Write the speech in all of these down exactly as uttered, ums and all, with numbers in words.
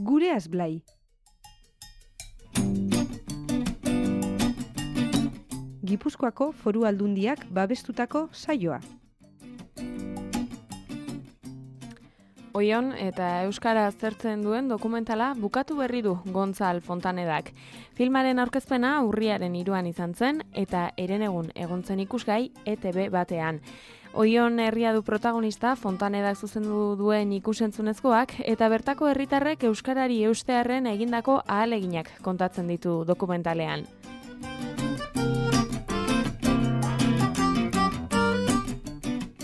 Gureaz Blai. Gipuzkoako Foru Aldundiak babestutako saioa. Oion eta euskara aztertzen duen dokumentala bukatu berri du Gontzal Fontanedak. Filmaren aurkezpena urriaren hiruan izan zen eta herenegun egontzen ikusgai E T B batean. Oion herria du protagonista Fontanedak zuzendu duen ikusentzunezkoak eta bertako herritarrek euskarari eustearren egindako ahaleginak kontatzen ditu dokumentalean.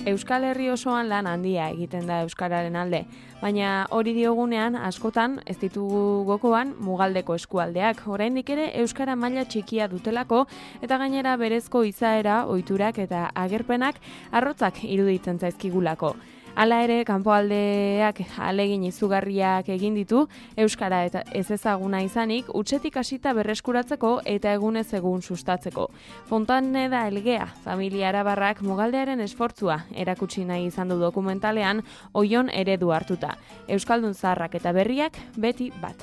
Euskal Herri osoan lan handia egiten da euskararen alde, baina hori diogunean askotan ez ditugu gokoan mugaldeko eskualdeak, oraindik ere euskara maila txikia dutelako eta gainera berezko izaera, ohiturak eta agerpenak arrotzak iruditzen zaizkigulako. Hala ere, kanpoaldeak ahalegin izugarriak egin ditu, euskara eta ez ezaguna izanik, hutsetik hasita berreskuratzeko eta egunez egun sustatzeko. Fontaneda Elgea, familia arabarrak mugaldearen esfortzua erakutsi nahi izan du dokumentalean, Oion eredu hartuta. Euskaldun zaharrak eta berriak beti bat.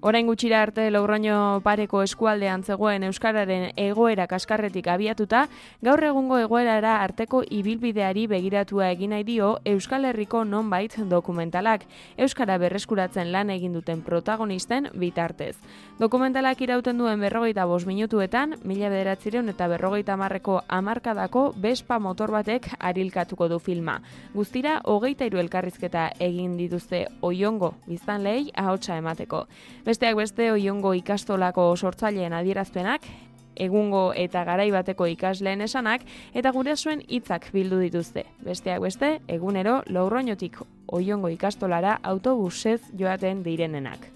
Orain gutxira arte Logroño pareko eskualdean zegoen euskararen egoera kaskarretik abiatuta, gaur egungo egoerara arteko ibilbideari begiratua egin nahi dio Euskal Herriko nonbait dokumentalak, euskara berreskuratzen lan egin duten protagonisten bitartez. Dokumentalak irauten duen berrogeita bost minutuetan, mila bederatziehun eta berrogeita hamarreko hamarkadako Vespa motor batek arilkatuko du filma. Guztira, hogeita hiru elkarrizketa egin dituzte Oiongo biztanleei ahotsa emateko. Besteak beste Oiongo ikastolako sortzaileen adierazpenak, egungo eta garai bateko ikasleen esanak eta gurasoen hitzak bildu dituzte. Besteak beste, egunero Logroñotik Oiongo ikastolara autobusez joaten direnenak.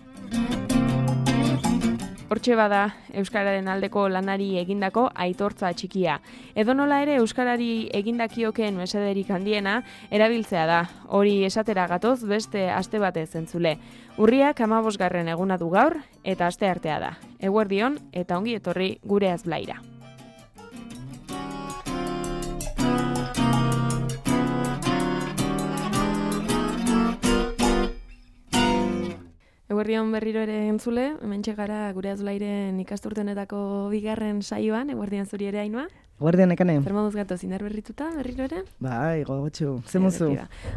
Hortxe bada euskararen aldeko lanari egindako aitortza txikia. Edonola ere euskarari egindakioken mesederik handiena erabiltzea da. Hori esatera gatoz beste aste batez entzule. Urriak hamabosgarren eguna du gaur eta asteartea da. Eguerdion eta ongi etorri Gureaz Blaira. Eguerdion berriro ere entzule, hementxe gara Gureaz Blairen ikasturtenetako bigarren saioan, eguerdion zuri ere Ainhoa. Eguerdion ekane. Zer moduz gato, zindar berrituta berriro ere? Bai, gogotxu, ze muzu.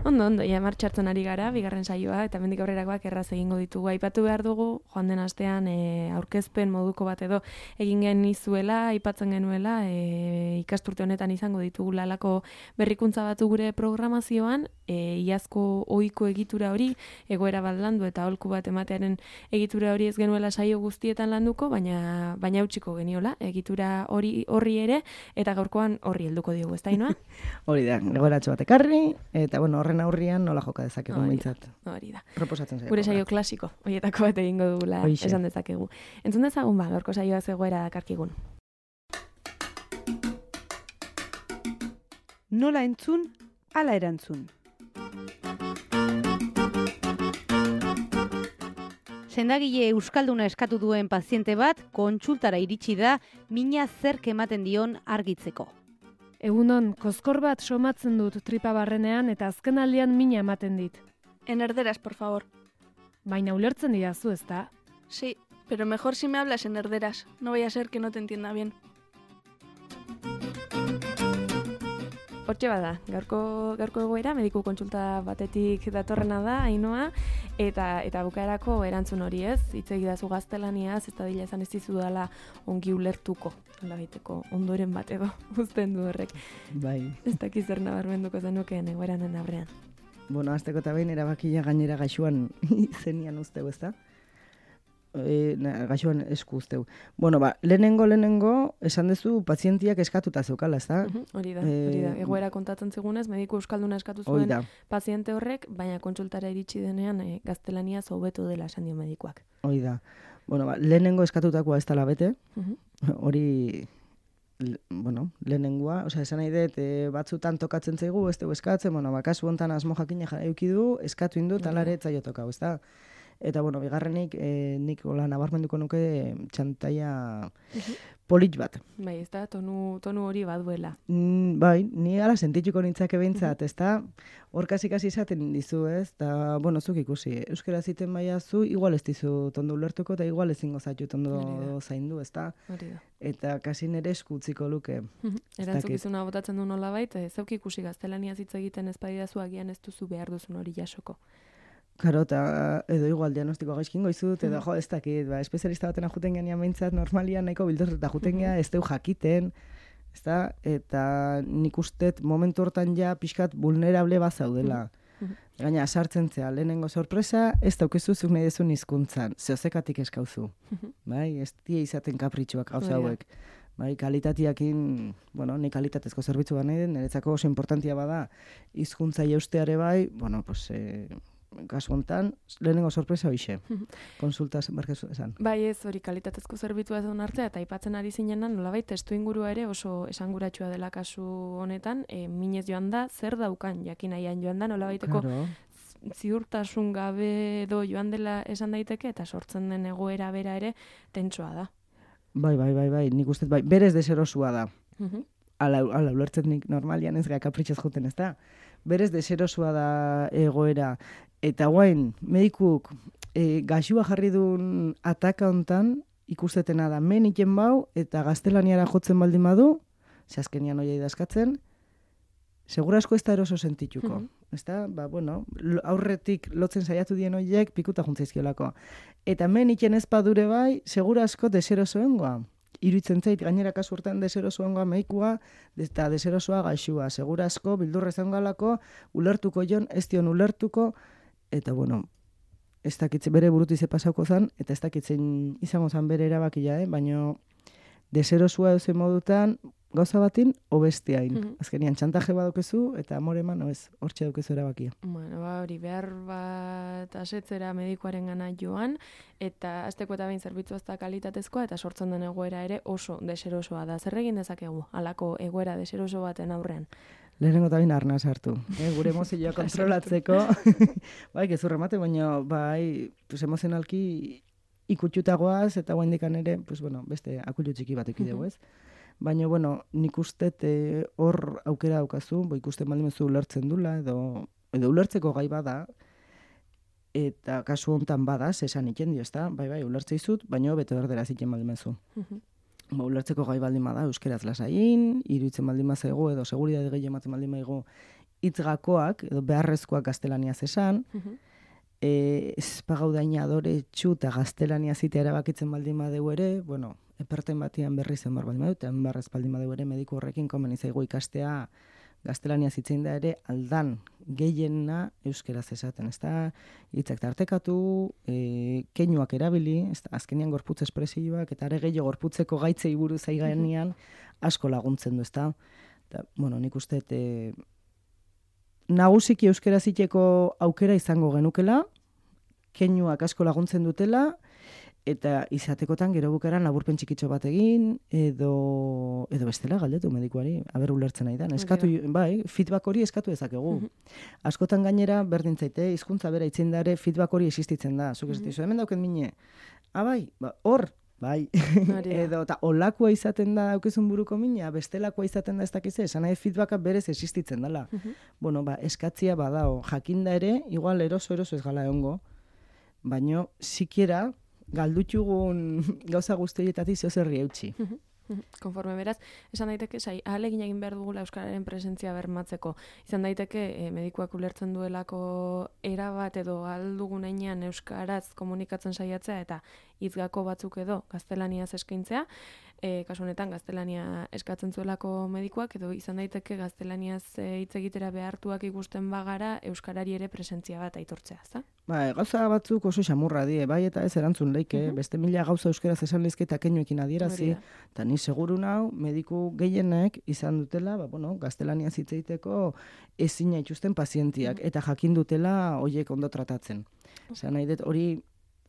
Ondo, ondo, ja martxartzen ari gara, bigarren saioa, eta mendik aurrerakoak erraz egingo ditugu. Aipatu behar dugu, joan den astean e, aurkezpen moduko bat edo egin genizuela, aipatzen genuela, e, ikasturte honetan izango ditugu lalako berrikuntza batu gure programazioan, e, iazko ohiko egitura hori, egoera bat landu eta aholku bat ematearen egitura hori ez genuela saio guztietan landuko, baina baina utziko geniola, egitura hori horri ere, eta gaurkoan horri helduko diogu, ez da, Ainhoa? Hori da, egoeratxo bat ekarri, eta bueno, horren aurrian nola joka dezakegu mintzat. Hori da. Proposatzen zaio. Gure saio klasiko, horietako bat egingo dugula esan dezakegu. Entzun dezagun ba, gaurko saioa zegoera dakarkigun. Nola entzun, ala erantzun. Sendagile euskalduna eskatu duen paziente bat kontsultara iritsi da mina zerk ematen dion argitzeko. Egunon, kozkor bat somatzen dut tripa barrenean eta azken aldian mina ematen dit. En erderas, por favor. Baina ulertzen didazu, ezta? Sí, pero mejor si me hablas en erderas. No vaya a ser que no te entienda bien. Hortxe bada, gaurko, gaurko egoera, mediku kontsulta batetik datorrena da, Ainhoa, eta eta bukaerako erantzun hori ez, hitz egidazu gaztelaniaz, ez da dila esan ez dizu dela ongi ulertuko, nola baiteko ondoren bat edo uzten du horrek. Bai. Ez dakiz zer nabarmenduko zenukeen egoeranen aurrean. Bueno, azteko eta behin erabakia gainera gaixuan zenian usteu, ez da? E, na, gaixuan esku usteu. Bueno, ba, lehenengo, lehenengo, esan duzu pazientiak eskatuta zeukala, ez da? Uh-huh, hori da, hori da. Egoera kontatzen zigunez, mediku euskalduna eskatu zuen paziente horrek, baina kontsultara iritsi denean e, gaztelaniaz hobetu dela esan dio medikuak. Hori da. Bueno, ba, lehenengo eskatutakoa ez dela bete, hori, uh-huh. bueno, lehenengoa, osea, esan nahi dut, e, batzutan tokatzen zaigu, ez dugu eskatzen, bueno, ba, kasu hontan asmo jakina eduki du, eskatu indu, talare etzaio tokau, ez da? Eta, bueno, bigarrenik, e, nik hola nabarmenduko nuke txantaia polit bat. Bai, ez da, tonu, tonu hori baduela. Mm, bai, ni ala sentitxuko nintzake behintzat, ez da, hor kasi-kasi izaten dizu, ez, eta, bueno, zuk ikusi, euskera ziten baia zu, igual ez dizu tondo ulertuko, eta igual ezingo zaitu tondo zaindu, ez da, eta kasi nere eskutziko luke. Erantzukizuna botatzen du nola baita, zeuk ikusi gaztelania hitz egiten ez badidazu agian ez duzu behar duzun hori jasoko. Karo, eta edo igual diagnostiko gaizkingo izut, edo jo, ez dakit, ba, espezialista baten ajuten genean behintzat, normalian nahiko bildurret eta ajuten genean, ez deu jakiten, ez da, eta nik ustet momentu hortan ja pixkat vulnerable bat zaudela. Gaina, sartzen zea, lehenengo sorpresa, ez daukezu zuk nahi dezun hizkuntzan, zehozekatik eskauzu, bai, ez die izaten kapritxuak gauza hauek. Bai, kalitatiakin, bueno, ni kalitatezko zerbitzu bat nahi den, niretzako oso importantia bada, hizkuntza jausteare bai, bueno, pues, eh, kasu hontan, lehenengo sorpresa hoixe, konsultaz barkezu esan. Bai ez, hori kalitatezko zerbitzua ez duen hartzea, eta aipatzen ari zinenan, nolabait, testu ingurua ere oso esanguratsua dela kasu honetan, e, minez joan da, zer daukan jakinaian joan da, nolabaiteko ziurtasun gabe edo joan dela esan daiteke, eta sortzen den egoera bera ere tentsoa da. Bai, bai, bai, bai, nik uste, bai, berez deserosua da. Ala, ala ulertzen nik normalian ez gara kapritxez juten, ez da? Berez deserosua da egoera. Eta guain, medikuk e, gaxua jarri duen ataka hontan ikusetena da, men iten bau, eta gaztelaniara jotzen baldin badu, ze azkenian oia idazkatzen, segurasko ez da eroso sentituko. Mm -hmm. Ez da, ba, bueno, aurretik lotzen saiatu dien horiek pikuta juntzaizkiolako. Eta men iten ez badure bai, segurasko deserosoengoa. Iruitzen zait, gainera kasu urtean deserosoengoa medikua, eta deserosoa gaxua. Segurasko, bildurrezen galako, ulertuko jon, ez dion ulertuko, eta, bueno, ez dakitzen bere burutize pasauko zan, eta ez dakitzen izango zan bere erabakia, eh? Baina deserosua eusen modutan, gauza batin, obestiain. Mm -hmm. Azkenian, txantaje badukezu, eta amore eman, ez, hortxe dukezu erabakia. Bueno, ba, hori, behar bat asetzera medikuaren gana joan, eta azteko eta behin zerbitzu ez da kalitatezkoa, eta sortzen den egoera ere oso deserosoa da. Zer egin dezakegu, halako egoera deseroso baten aurrean? Lehenengo eta bain arnaz hartu. Eh? Gure emozioa kontrolatzeko, bai, gezurra mate, baina, bai, pues, emozionalki ikutxutagoaz, eta guain dikan ere, pues, bueno, beste akullu txiki bat ekidegu, ez? Baina, bueno, nik uste hor aukera daukazu, bo ikusten baldin mezu ulertzen dula, edo, edo ulertzeko gai bada, eta kasu hontan bada, esan iken dio, ez da? Bai, bai, ulertze izut, baina bete berdera ziken baldin mezu. Ba, ulertzeko gai baldin bada, euskeraz lasain, iruditzen baldin mazego, edo seguridade gehi ematen baldin maigo, hitzgakoak, edo beharrezkoak gaztelaniaz esan, e, ez pagaudaina adore txuta gaztelania zitea erabakitzen baldin badeu ere, bueno, eperten batian berri zen bar baldin badu, eta enbarrez baldin badeu ere mediku horrekin komen izaigu ikastea gaztelania zitzein da ere aldan gehiena euskeraz esaten, ez da, hitzak tartekatu, e, keinuak erabili, ez da, azkenian gorputz espresioak, eta are gehiago gorputzeko gaitzei buruz aiganean asko laguntzen du, ez da. Eta, bueno, nik uste, e, nagusiki euskera ziteko aukera izango genukela, keinuak asko laguntzen dutela, eta izatekotan gero bukaran laburpen txikitxo bat egin, edo, edo bestela galdetu medikuari, haber ulertzen nahi da. Eskatu, bai, feedback hori eskatu dezakegu. Mm-hmm. Askotan gainera, berdin zaite, hizkuntza bera itzen dare, feedback hori existitzen da. Zuk ez mm-hmm. dizu, hemen dauken mine, ah, bai, ba, hor, bai, edo, eta olakoa izaten da daukezun buruko mina, bestelakoa izaten da ez dakize, esan nahi feedbacka berez existitzen dela. Mm-hmm. Bueno, ba, eskatzia badao, jakinda ere, igual eroso-eroso ez gala egongo, baino, sikiera, galdutxugun gauza guztietatik zeo zerri eutxi. Konforme beraz, esan daiteke, sai, ahalegin egin behar dugula euskararen presentzia bermatzeko. Izan daiteke, eh, medikuak ulertzen duelako erabat edo aldugun einean euskaraz komunikatzen saiatzea eta hitzgako batzuk edo gaztelaniaz eskaintzea, e, kasu honetan gaztelania eskatzen zuelako medikuak edo izan daiteke gaztelaniaz hitz egitera behartuak ikusten bagara euskarari ere presentzia bat aitortzea, ezta? Ba, gauza batzuk oso xamurra die, bai eta ez erantzun leike, uh -huh. beste mila gauza euskaraz esan lezke eta keinuekin adierazi, eta ni seguru nau mediku gehienek izan dutela, ba, bueno, gaztelaniaz hitz egiteko ezina itxusten pazientiak, uh -huh. eta jakin dutela horiek ondo tratatzen. Osea, nahi dut hori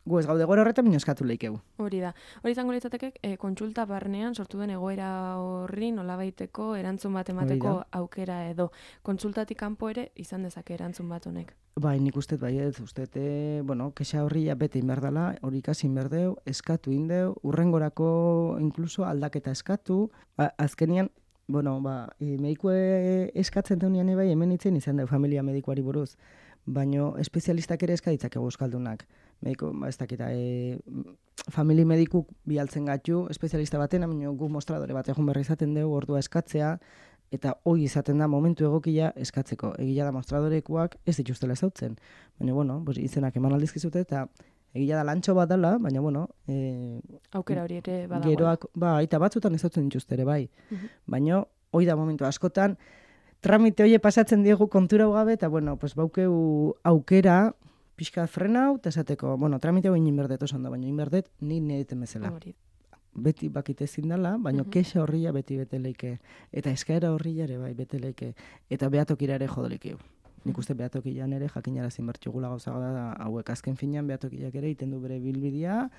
gu ez gaude gora horretan, baina eskatu leikegu. Hori da. Hori izango litzateke, e, kontsulta barnean sortu den egoera horri nolabaiteko erantzun bat emateko aukera edo. Kontsultatik kanpo ere izan dezake erantzun bat honek. Bai, nik uste bai ez, uste, e, bueno, kexa horri ja bete inberdala, hori ikasi inberdeu, eskatu indeu, urrengorako inkluso aldaketa eskatu, ba, azkenian, bueno, ba, e, medikue eskatzen deunean bai, hemen itzen izan deu familia medikuari buruz, baino espezialistak ere eskaditzakegu euskaldunak. Mediko, ba, ez dakita, e, famili medikuk bialtzen gatu, espezialista baten, baina gu mostradore bat egun berri izaten dugu, ordua eskatzea, eta hoi izaten da momentu egokia eskatzeko. Egia da mostradorekuak ez dituztela ezautzen. Baina, bueno, pues, izenak eman aldizkizute, eta egia da lantxo bat dela, baina, bueno... E, aukera hori ere badagoela. Geroak, ba, eta batzutan ezautzen dituzte ere, bai. Uh-huh. Baina, hoi da momentu askotan, tramite hoie pasatzen diegu kontura gabe, eta, bueno, pues, baukeu aukera, pixka frena hau, eta esateko, bueno, tramite hau inberdet oso ondo, baina inberdet ni nireten bezala. Hori. Beti bakite ezin dela, baina uh-huh. kexa horria beti bete leike. Eta eskaera horria ere bai bete leike. Eta behatokira ere jodolikeu. Nik uste behatokian ere jakinarazin bertxugula gauza da hauek azken finean behatokiak ere iten du bere bilbidea.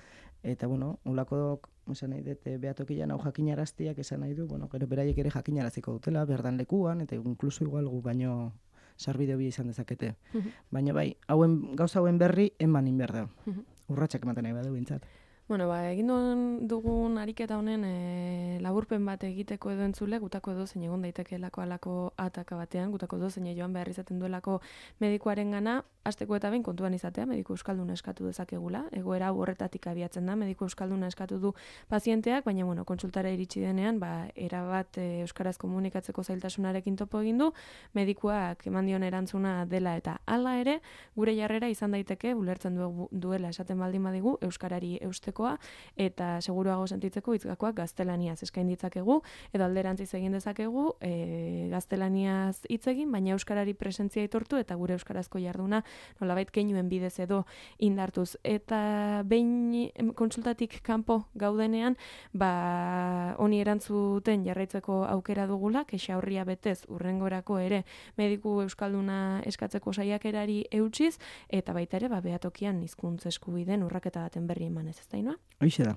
Eta, bueno, ulako esan nahi dut behatokian hau jakinaraztiak esan nahi du, bueno, gero beraiek ere jakinaraziko dutela, berdan lekuan, eta inkluso igual gu baino sarbide hobia izan dezakete. Uh-huh. Baina bai, hauen, gauza hauen berri eman inberdeu. Uh-huh. Urratxak ematen nahi badu bintzat. Bueno, ba, egin duen dugun ariketa honen e, laburpen bat egiteko edo entzule, gutako edo zein egon daitekeelako alako ataka batean, gutako edo zein joan behar izaten duelako medikuaren gana, hasteko eta behin kontuan izatea, mediku euskalduna eskatu dezakegula, egoera hau horretatik abiatzen da, mediku euskalduna eskatu du pazienteak, baina, bueno, kontsultara iritsi denean, ba, erabat e, euskaraz komunikatzeko zailtasunarekin topo egin du, medikuak eman dion erantzuna dela eta hala ere, gure jarrera izan daiteke, ulertzen du, duela esaten baldin badigu, euskarari eusteko eta seguruago sentitzeko hitzgakoak gaztelaniaz eskain ditzakegu edo alderantziz egin dezakegu e, gaztelaniaz hitz egin, baina euskarari presentzia aitortu eta gure euskarazko jarduna nolabait keinuen bidez edo indartuz. Eta behin kontsultatik kanpo gaudenean, ba honi erantzuten jarraitzeko aukera dugula, kexa horria betez urrengorako ere mediku euskalduna eskatzeko saiakerari eutsiz eta baita ere ba behatokian hizkuntza eskubideen urraketa baten berri emanez, ezta? Hoixe da.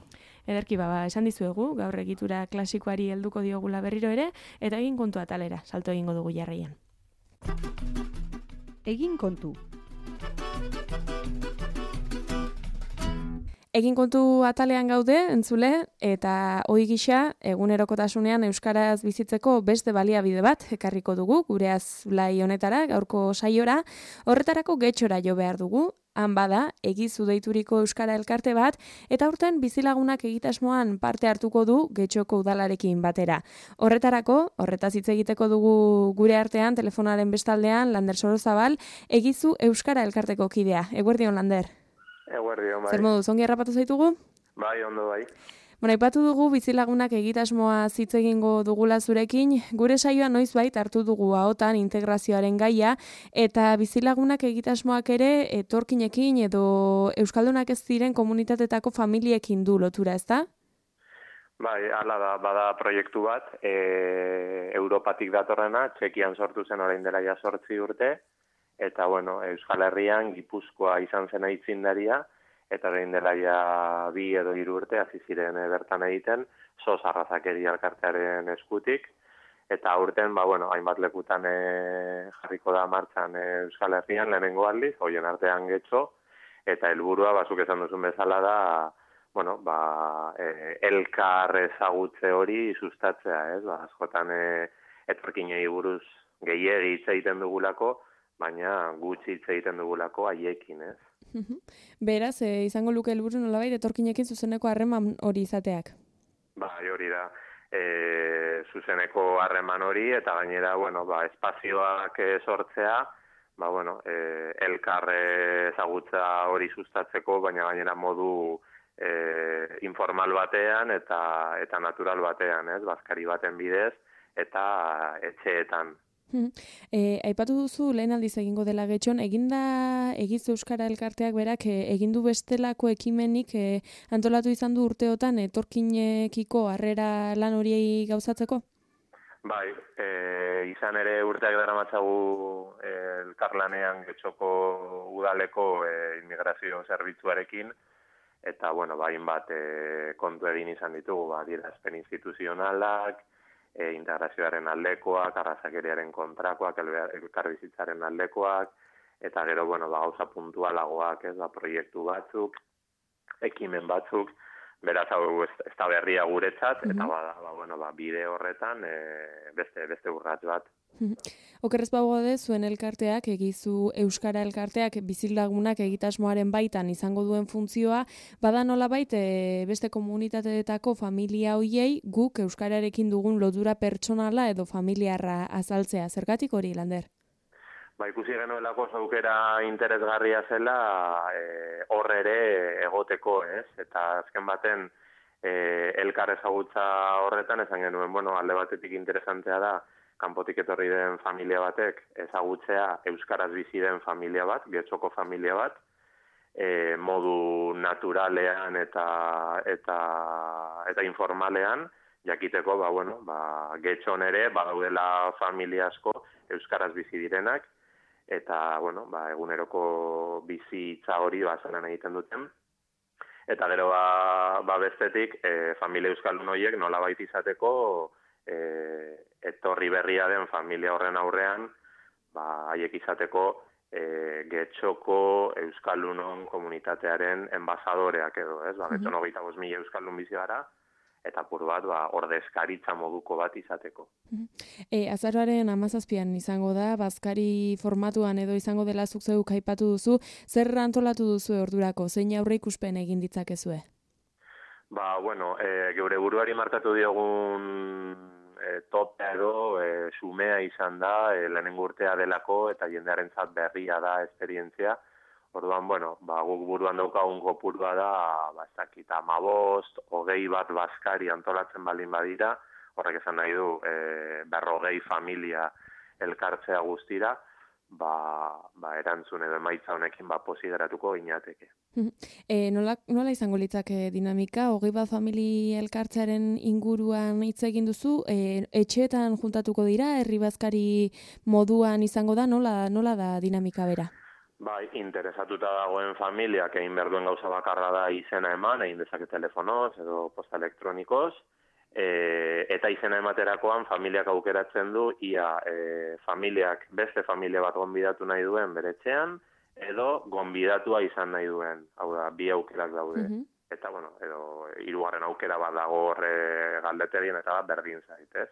Ederki baba, esan dizuegu, gaur egitura klasikoari helduko diogula berriro ere, eta egin kontu atalera, salto egingo dugu jarraian. Egin kontu. Egin kontu atalean gaude, entzule, eta ohi gisa, egunerokotasunean euskaraz bizitzeko beste baliabide bat ekarriko dugu, gure azulai honetara, gaurko saiora, horretarako getxora jo behar dugu, han bada, egizu deituriko euskara elkarte bat, eta aurten bizilagunak egitasmoan parte hartuko du Getxoko udalarekin batera. Horretarako, horretaz hitz egiteko dugu gure artean, telefonaren bestaldean, Lander Sorozabal, egizu euskara elkarteko kidea. Eguerdion, Lander? Eguerdion, bai. Zer moduz, ongi harrapatu zaitugu? Bai, ondo bai. Bueno, aipatu dugu bizilagunak egitasmoa hitz egingo dugula zurekin, gure saioa noizbait hartu dugu ahotan integrazioaren gaia, eta bizilagunak egitasmoak ere etorkinekin edo euskaldunak ez diren komunitatetako familiekin du lotura, ezta? Bai, hala da, bada proiektu bat, e, Europatik datorrena, Txekian sortu zen orain dela ja zortzi urte, eta bueno, Euskal Herrian Gipuzkoa izan zen aitzindaria, eta orain dela ja bi edo hiru urte hasi ziren e, bertan egiten, sos arrazakeri elkartearen eskutik, eta aurten, ba, bueno, hainbat lekutan e, jarriko da martxan e, Euskal Herrian lehenengo aldiz, hoien artean Getxo, eta helburua, bazuk esan duzun bezala da, bueno, ba, e, elkar ezagutze hori sustatzea, ez? Ba, askotan e, etorkinei buruz gehiegi hitz egiten dugulako, baina gutxi hitz egiten dugulako haiekin, ez? Beraz, e, izango luke helburu nolabait etorkinekin zuzeneko harreman hori izateak. Bai, hori da. E, zuzeneko harreman hori eta gainera, bueno, ba, espazioak sortzea, ba, bueno, e, elkar ezagutza hori sustatzeko, baina gainera modu e, informal batean eta eta natural batean, ez? Bazkari baten bidez eta etxeetan. E, aipatu duzu lehen aldiz egingo dela Getxon, eginda egizu euskara elkarteak berak e, egindu bestelako ekimenik e, antolatu izan du urteotan etorkinekiko harrera lan horiei gauzatzeko? Bai, e, izan ere urteak daramatzagu e, elkarlanean Getxoko udaleko e, immigrazio zerbitzuarekin, eta, bueno, ba, hainbat e, kontu egin izan ditugu, ba, adierazpen instituzionalak, e, integrazioaren aldekoak, arrazakeriaren kontrakoak, elkarbizitzaren aldekoak, eta gero, bueno, ba, gauza puntualagoak, ez, ba, proiektu batzuk, ekimen batzuk, beraz hau ez, ez da berria guretzat, eta mm-hmm. ba, ba, bueno, ba, bide horretan e, beste, beste urrats bat. Okerrez bagode, zuen elkarteak, egizu Euskara elkarteak, bizilagunak egitasmoaren baitan izango duen funtzioa, bada nolabait e, beste komunitateetako familia hoiei guk Euskararekin dugun lotura pertsonala edo familiarra azaltzea. Zergatik hori, Lander? Ba, ikusi genuelako zaukera interesgarria zela hor e, ere egoteko, ez? Eta azken baten e, elkar ezagutza horretan esan genuen, bueno, alde batetik interesantea da, kanpotik etorri den familia batek ezagutzea euskaraz bizi den familia bat, getxoko familia bat, e, modu naturalean eta eta eta informalean jakiteko, ba bueno, ba getxon ere badaudela familia asko euskaraz bizi direnak eta bueno, ba eguneroko bizitza hori basanan egiten duten. Eta gero ba, ba bestetik e, familia euskaldun horiek nolabait izateko e, etorri berria den familia horren aurrean, ba haiek izateko e, getxoko euskaldunon komunitatearen enbasadoreak edo, ez? Ba getxon hogeita bost mila euskaldun bizi gara eta apur bat ba ordezkaritza moduko bat izateko. E, azaroaren hamazazpian izango da, bazkari formatuan edo izango dela zuk zeuk aipatu duzu, zer antolatu duzu ordurako, zein aurre ikuspen egin ditzakezue? Ba, bueno, e, geure buruari markatu diogun e, topea edo e, sumea izan da, e, lehenengo urtea delako eta jendearentzat berria da esperientzia. Orduan, bueno, ba, guk buruan daukagun kopurua da, ba, ez dakit, hamabost, hogei bat bazkari antolatzen baldin badira, horrek esan nahi du, e, berrogei familia elkartzea guztira, ba, ba, erantzun edo emaitza honekin ba, posi geratuko ginateke. E, nola, nola izango litzake dinamika? Hogei bat familia elkartzearen inguruan hitz egin duzu, e, etxeetan juntatuko dira, herri bazkari moduan izango da, nola, nola da dinamika bera? Bai, interesatuta dagoen familiak egin behar duen gauza bakarra da izena eman, egin dezake telefonoz edo posta elektronikoz, e, eta izena ematerakoan familiak aukeratzen du, ia e, familiak beste familia bat gonbidatu nahi duen bere etxean, edo gonbidatua izan nahi duen, hau da, bi aukerak daude. Mm-hmm. Eta, bueno, edo hirugarren aukera bat dago horre galdeterien eta bat berdin zaitez.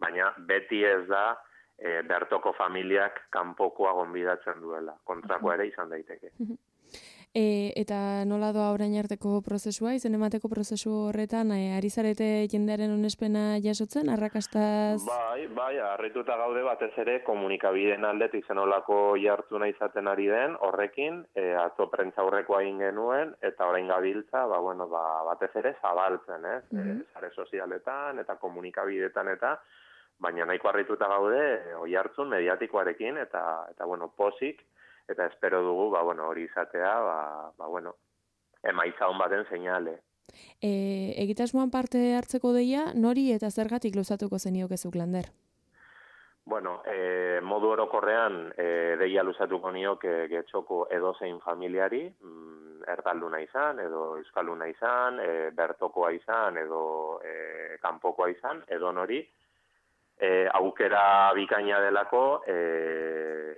Baina beti ez da, E, bertoko familiak kanpokoa gonbidatzen duela. Kontrakoa ere izan daiteke. E, eta nola doa orain arteko prozesua, izen emateko prozesu horretan, e, ari zarete jendearen onespena jasotzen, arrakastaz? Bai, bai, harrituta gaude batez ere komunikabideen aldetik zenolako jartzuna izaten ari den, horrekin, e, atzo prentza aurrekoa egin genuen, eta orain gabiltza, ba, bueno, ba, batez ere zabaltzen, ez? Mm-hmm. E, sare sozialetan eta komunikabideetan eta baina nahiko harrituta gaude oi hartzun mediatikoarekin eta eta bueno, posik eta espero dugu ba bueno, hori izatea, ba ba bueno, emaitza on baten seinale. Eh, egitasmoan parte hartzeko deia nori eta zergatik luzatuko zeniokezuk, Lander? Bueno, e, modu orokorrean e, deia luzatuko nioke getxoko edozein familiari, mm, erdalduna izan edo euskalduna izan, e, bertokoa izan edo e, kanpokoa izan, edo nori. E, aukera bikaina delako e,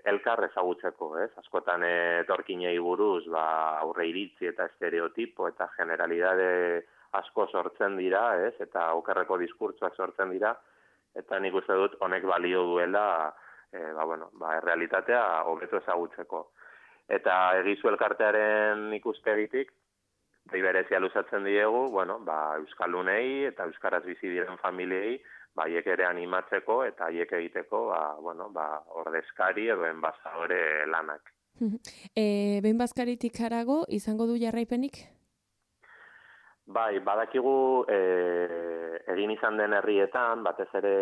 elkar ezagutzeko, ez? Askotan etorkinei buruz ba, aurre iritzi eta estereotipo eta generalidade asko sortzen dira, ez? Eta okerreko diskurtsoak sortzen dira, eta nik uste dut honek balio duela e, ba, bueno, ba, errealitatea hobeto ezagutzeko. Eta egizu elkartearen ikuspegitik, berezia luzatzen diegu, bueno, ba, euskaldunei eta euskaraz bizi diren familiei, ba, haiek ere animatzeko eta haiek egiteko, ba, bueno, ba, ordezkari edo enbasadore lanak. E, behin bazkaritik harago, izango du jarraipenik? Bai, badakigu e, egin izan den herrietan, batez ere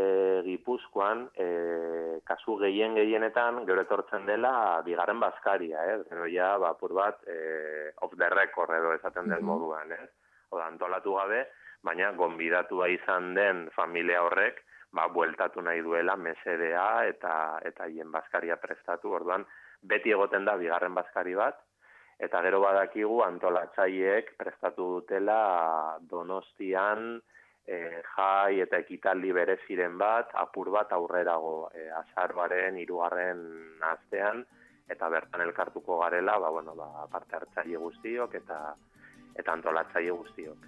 Gipuzkoan, e, kasu gehien gehienetan gero etortzen dela bigarren bazkaria, eh? Gero ja, ba, pur bat, e, off the record edo esaten den moduan, eh? Oda, antolatu gabe, baina gonbidatua izan den familia horrek, ba, bueltatu nahi duela mesedea eta eta hien bazkaria prestatu, orduan beti egoten da bigarren bazkari bat, eta gero badakigu antolatzaileek prestatu dutela Donostian e, jai eta ekitaldi bereziren bat, apur bat aurrerago e, azaroaren hirugarren astean, eta bertan elkartuko garela, ba, bueno, ba, parte hartzaile guztiok eta eta antolatzaile guztiok.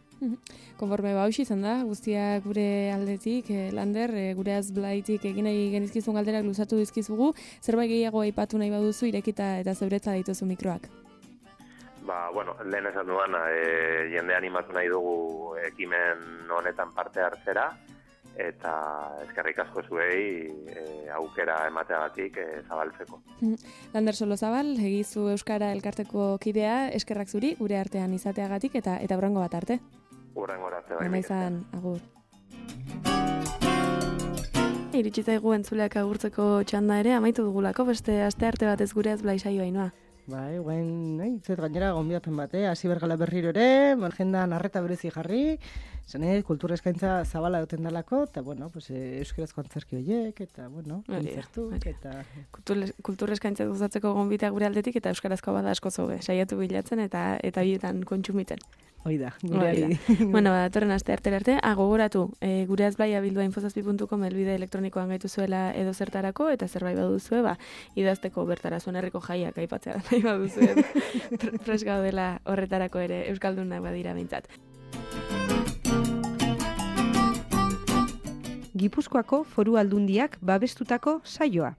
Konforme ba hausi izan da, guztia gure aldetik, eh, Lander, eh, gure azblaitik egin nahi genizkizun galderak luzatu dizkizugu, zerbait gehiago aipatu nahi baduzu irekita eta zeuretza dituzu mikroak. Ba, bueno, lehen esan duan, e, jende animatu nahi dugu ekimen honetan parte hartzera, eta eskerrik asko zuei e, aukera emateagatik e, zabaltzeko. Lander Solozabal, egizu Euskara elkarteko kidea, eskerrak zuri, gure artean izateagatik, eta eta hurrengo bat arte. Hurrengo arte bai. Ona izan, agur. Iritsi zaigu entzuleak agurtzeko txanda ere, amaitu dugulako, beste aste arte batez gure azblai saioa inoa. Bai, guen, nahi, zet gainera gonbidapen bate, hasi bergala berriro ere, agendan arreta berezi jarri, zene, kultura eskaintza zabala duten dalako, eta, bueno, pues, euskarazko antzerki horiek, eta, bueno, kontzertu, eta... Kultura eskaintza guzatzeko gonbita gure aldetik, eta euskarazko bada asko zobe, saiatu bilatzen, eta eta bietan kontsumiten. Hoi da, gureari. Bueno, ba, datorren aste artera arte, agogoratu, e, gure azblaia bildua infozazpi puntu com elbide elektronikoan gaitu zuela edo zertarako, eta zerbait baduzue, ba, idazteko bertara zuen herriko jaiak aipatzea nahi baduzue, prest gaudela horretarako ere euskaldunak badira behintzat. Gipuzkoako Foru Aldundiak babestutako saioa.